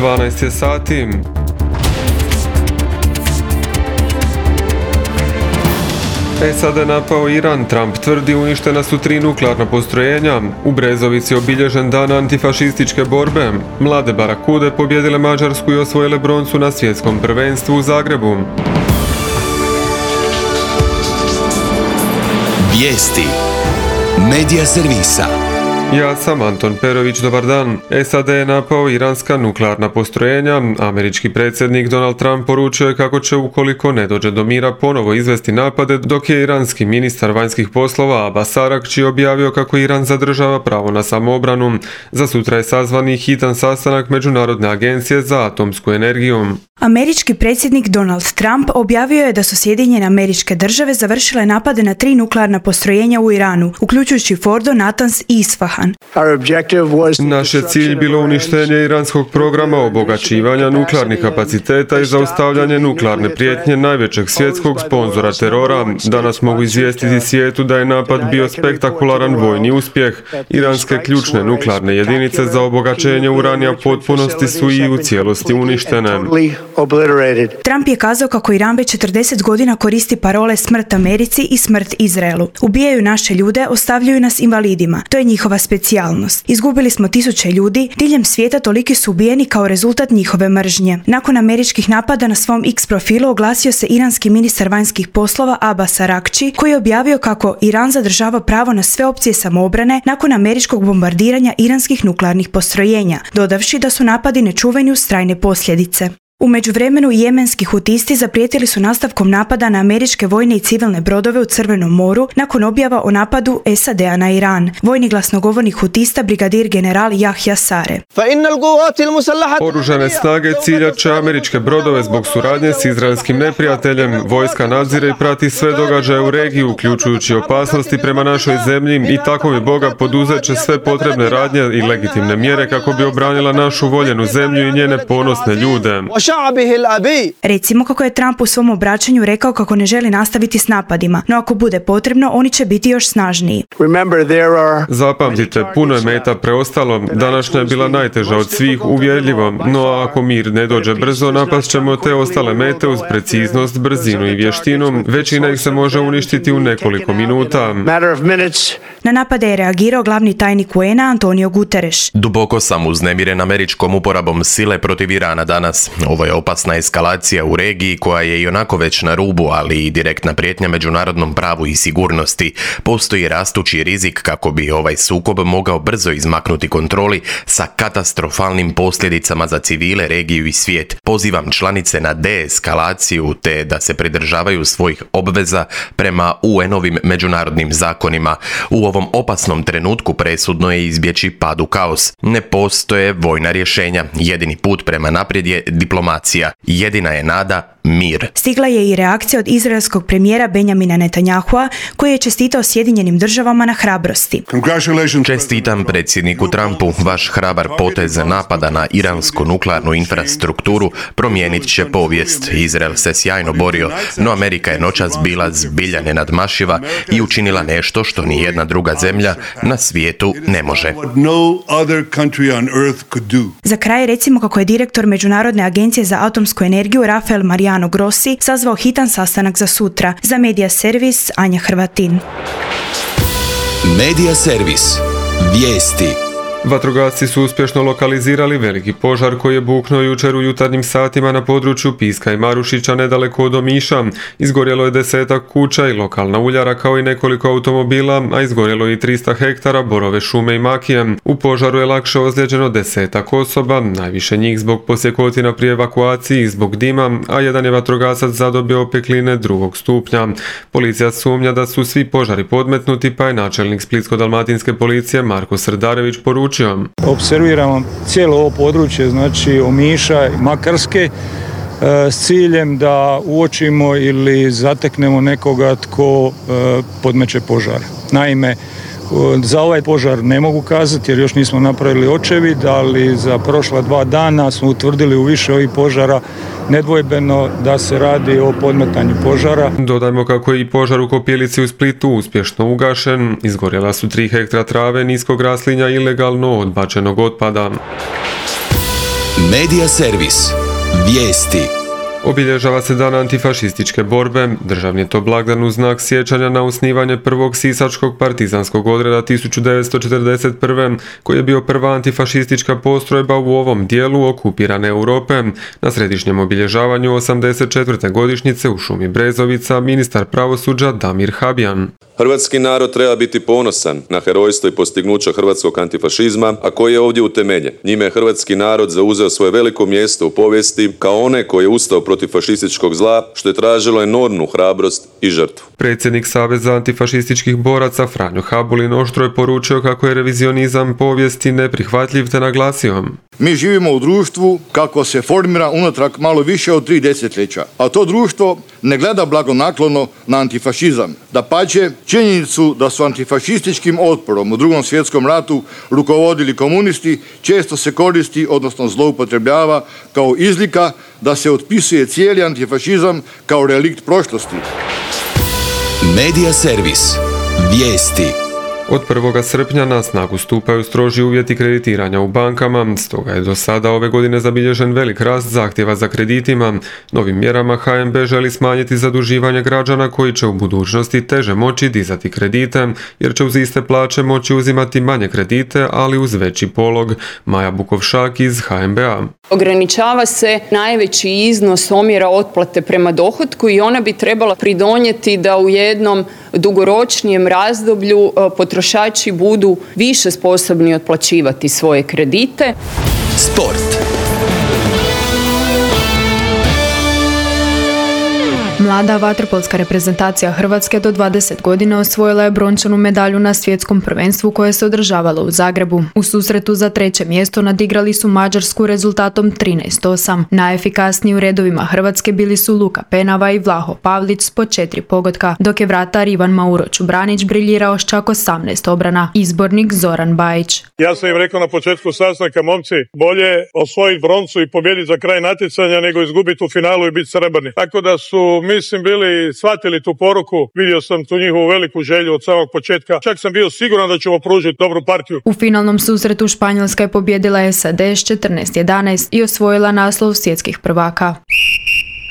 12 je sati. SAD je napao Iran, Trump tvrdi uništena su 3 nuklearna postrojenja. U Brezovici je obilježen dan antifašističke borbe. Mlade Barakude pobjedile Mađarsku i osvojile broncu na svjetskom prvenstvu u Zagrebu. Vijesti Medija servisa. Ja sam Anton Perović, dobar dan. SAD je napao iranska nuklearna postrojenja. Američki predsjednik Donald Trump poručio je kako će, ukoliko ne dođe do mira, ponovo izvesti napade, dok je iranski ministar vanjskih poslova Abbas Araghchi objavio kako Iran zadržava pravo na samoobranu. Za sutra je sazvan i hitan sastanak Međunarodne agencije za atomsku energiju. Američki predsjednik Donald Trump objavio je da su Sjedinjene Američke Države završile napade na 3 nuklearna postrojenja u Iranu, uključujući Fordo, Natanz i Isfahan. Naš je cilj bilo uništenje iranskog programa obogaćivanja nuklearnih kapaciteta i zaustavljanje nuklearne prijetnje najvećeg svjetskog sponzora terora. Danas mogu izvijestiti svijetu da je napad bio spektakularan vojni uspjeh. Iranske ključne nuklearne jedinice za obogaćenje uranija potpunosti su i u cijelosti uništene. Trump je kazao kako Iran već 40 godina koristi parole smrt Americi i smrt Izraelu. Ubijaju naše ljude, ostavljaju nas invalidima. To je njihova specijalnost. Izgubili smo tisuće ljudi, diljem svijeta toliki su ubijeni kao rezultat njihove mržnje. Nakon američkih napada na svom X profilu oglasio se iranski ministar vanjskih poslova Abbas Araghchi, koji je objavio kako Iran zadržava pravo na sve opcije samoobrane nakon američkog bombardiranja iranskih nuklearnih postrojenja, dodavši da su napadi nečuveni uz trajne posljedice. U međuvremenu jemenski hutisti zaprijetili su nastavkom napada na američke vojne i civilne brodove u Crvenom moru nakon objava o napadu SAD-a na Iran. Vojni glasnogovornik hutista brigadir general Yahya Sare. Oružane snage ciljat će američke brodove zbog suradnje s izraelskim neprijateljem. Vojska nadzire i prati sve događaje u regiji, uključujući opasnosti prema našoj zemlji, i tako mi Boga poduzet će sve potrebne radnje i legitimne mjere kako bi obranila našu voljenu zemlju i njene ponosne ljude. Recimo kako je Trump u svom obraćanju rekao kako ne želi nastaviti s napadima, no ako bude potrebno, oni će biti još snažniji. Zapamtite, puno je meta preostalo. Današnja je bila najteža od svih, uvjerljivo, no ako mir ne dođe brzo, napast ćemo te ostale mete uz preciznost, brzinu i vještinu. Većina ih se može uništiti u nekoliko minuta. Na napade je reagirao glavni tajnik UN-a Antonio Guterres. Duboko sam uznemiren američkom uporabom sile protiv Irana danas. Ovo je opasna eskalacija u regiji koja je i onako već na rubu, ali i direktna prijetnja međunarodnom pravu i sigurnosti. Postoji rastući rizik kako bi ovaj sukob mogao brzo izmaknuti kontroli sa katastrofalnim posljedicama za civile, regiju i svijet. Pozivam članice na deeskalaciju te da se pridržavaju svojih obveza prema UN-ovim međunarodnim zakonima. U ovom opasnom trenutku presudno je izbjeći pad u kaos. Ne postoje vojna rješenja. Jedini put prema naprijed je diplomacija. Jedina je nada mir. Stigla je i reakcija od izraelskog premijera Benjamina Netanyahua, koji je čestitao Sjedinjenim državama na hrabrosti. Čestitam predsjedniku Trumpu. Vaš hrabar potez napada na iransku nuklearnu infrastrukturu promijenit će povijest. Izrael se sjajno borio, no Amerika je noćas bila zbilja nenadmašiva i učinila nešto što ni jedna druga zemlja na svijetu ne može. Za kraj recimo kako je direktor Međunarodne agencije za atomsku energiju Rafael Mariano Grossi sazvao hitan sastanak za sutra. Za Medija servis Anja Hrvatin. Medija servis. Vijesti. Vatrogasci su uspješno lokalizirali veliki požar koji je buknuo jučer u jutarnjim satima na području Piska i Marušića nedaleko od Omiša. Izgorjelo je 10 kuća i lokalna uljara kao i nekoliko automobila, a izgorjelo i 300 hektara borove šume i makije. U požaru je lakše ozlijeđeno 10 osoba, najviše njih zbog posjekotina pri evakuaciji i zbog dima, a jedan je vatrogasac zadobio opekline 2. stupnja. Policija sumnja da su svi požari podmetnuti, pa je načelnik Splitsko-dalmatinske policije Marko Srdarević poručio: observiramo cijelo ovo područje, znači Omiša i Makarske, s ciljem da uočimo ili zateknemo nekoga tko podmeće požar. Naime, za ovaj požar ne mogu kazati jer još nismo napravili očevid, ali za prošla 2 dana smo utvrdili u više ovih požara nedvojbeno da se radi o podmetanju požara. Dodajmo kako je i požar u Kopilici u Splitu uspješno ugašen. Izgorjela su 3 hektra trave, niskog raslinja i ilegalno odbačenog otpada. Medija servis. Vijesti. Obilježava se dan antifašističke borbe. Državni je to blagdan u znak sjećanja na osnivanje prvog sisačkog partizanskog odreda 1941. koji je bio prva antifašistička postrojba u ovom dijelu okupirane Europe. Na središnjem obilježavanju 84. godišnjice u šumi Brezovica ministar pravosuđa Damir Habjan. Hrvatski narod treba biti ponosan na herojstvo i postignuća hrvatskog antifašizma, a koji je ovdje utemeljen. Njime je hrvatski narod zauzeo svoje veliko mjesto u povijesti kao one koji je ustao protiv fašističkog zla, što je tražilo enormnu hrabrost i žrtvu. Predsjednik Saveza antifašističkih boraca Franjo Habulin oštro je poručio kako je revizionizam povijesti neprihvatljiv te naglasio: Mi živimo u društvu kako se formira unatrag malo više od 3 desetljeća, a to društvo ne gleda blagonaklono na antifašizam. Dapače, činjenicu da su antifašističkim otporom u Drugom svjetskom ratu rukovodili komunisti često se koristi, odnosno zloupotrebljava kao izlika da se otpisuje cijeli antifašizam kao relikt prošlosti. Medija servis. Vijesti. Od 1. srpnja na snagu stupaju stroži uvjeti kreditiranja u bankama, stoga je do sada ove godine zabilježen velik rast zahtjeva za kreditima. Novim mjerama HNB želi smanjiti zaduživanje građana koji će u budućnosti teže moći dizati kredite, jer će uz iste plaće moći uzimati manje kredite, ali uz veći polog. Maja Bukovšak iz HNB-a. Ograničava se najveći iznos omjera otplate prema dohotku i ona bi trebala pridonijeti da u jednom dugoročnijem razdoblju potrošači budu više sposobni otplaćivati svoje kredite. Sport. Mlada vaterpolska reprezentacija Hrvatske do 20 godina osvojila je brončanu medalju na svjetskom prvenstvu koje se održavalo u Zagrebu. U susretu za 3. mjesto nadigrali su Mađarsku rezultatom 13:8. Najefikasniji u redovima Hrvatske bili su Luka Penava i Vlaho Pavlić s po 4 pogotka, dok je vratar Ivan Mauro Čubranić briljirao s čak 18 obrana. Izbornik Zoran Bajić. Ja sam im rekao na početku sastanka, momci, bolje osvojiti broncu i pobijediti za kraj natjecanja nego izgubiti u finalu i biti srebrni. Tako da su shvatili tu poruku, vidio sam tu njihovu veliku želju od samog početka. Čak sam bio siguran da ćemo pružiti dobru partiju. U finalnom susretu Španjolska je pobijedila SAD s 14:11 i osvojila naslov svjetskih prvaka.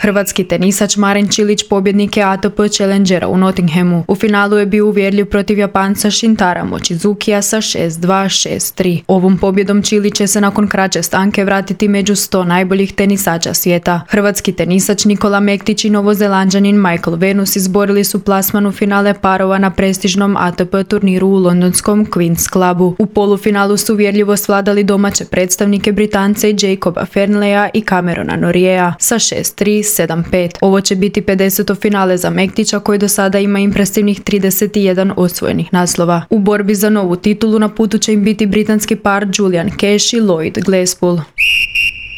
Hrvatski tenisač Marin Čilić pobjednik je ATP Challengera u Nottinghamu. U finalu je bio uvjerljiv protiv Japanca Shintara Mochizukija sa 6-2, 6-3. Ovom pobjedom Čilić će se nakon kraće stanke vratiti među 100 najboljih tenisača svijeta. Hrvatski tenisač Nikola Mektić i Novozelanđanin Michael Venus izborili su plasman u finale parova na prestižnom ATP turniru u londonskom Queen's Clubu. U polufinalu su uvjerljivo svladali domaće predstavnike Britance i Jacoba Fernleya i Camerona Norriea sa 6-3, 7-5. Ovo će biti 50. finale za Mektića koji do sada ima impresivnih 31 osvojenih naslova. U borbi za novu titulu na putu će im biti britanski par Julian Cash i Lloyd Glasspool.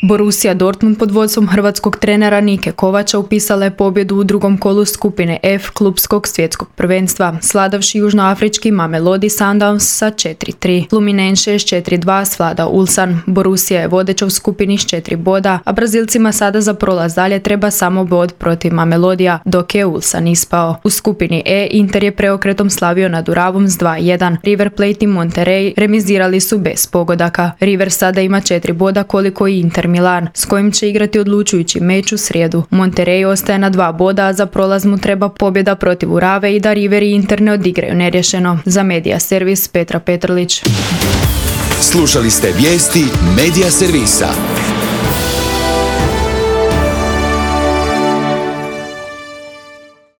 Borussia Dortmund pod vodstvom hrvatskog trenera Nike Kovača upisala je pobjedu u drugom kolu skupine F klubskog svjetskog prvenstva, sladavši južnoafrički Mamelodi Sundowns sa 4-3. Fluminense je s 4-2 svladao Ulsan. Borussia je vodeća u skupini s 4 boda, a Brazilcima sada za prolaz dalje treba samo bod protiv Mamelodija, dok je Ulsan ispao. U skupini E Inter je preokretom slavio nad Uravom s 2-1. River Plate i Monterrey remizirali su bez pogodaka. River sada ima 4 boda koliko i Inter Milan, s kojim će igrati odlučujući meč u srijedu. Monterrey ostaje na 2 boda, a za prolaz mu treba pobjeda protiv Urave i da River i Inter ne odigraju nerješeno. Za Medija servis Petra Petrlić. Slušali ste vijesti Medija servisa.